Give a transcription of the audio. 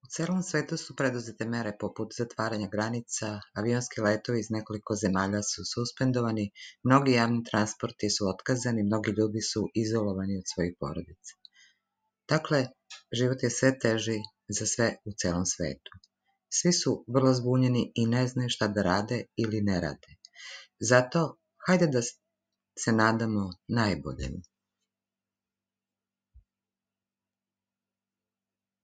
U celom svetu su preduzete mere poput zatvaranja granica, avionski letovi iz nekoliko zemalja su suspendovani, mnogi javni transporti su otkazani, mnogi ljudi su izolovani od svojih porodica. Dakle, život je sve teži za sve u celom svetu. Svi su vrlo zbunjeni i ne znaju šta da rade ili ne rade. Zato, hajde da se nadamo najboljem.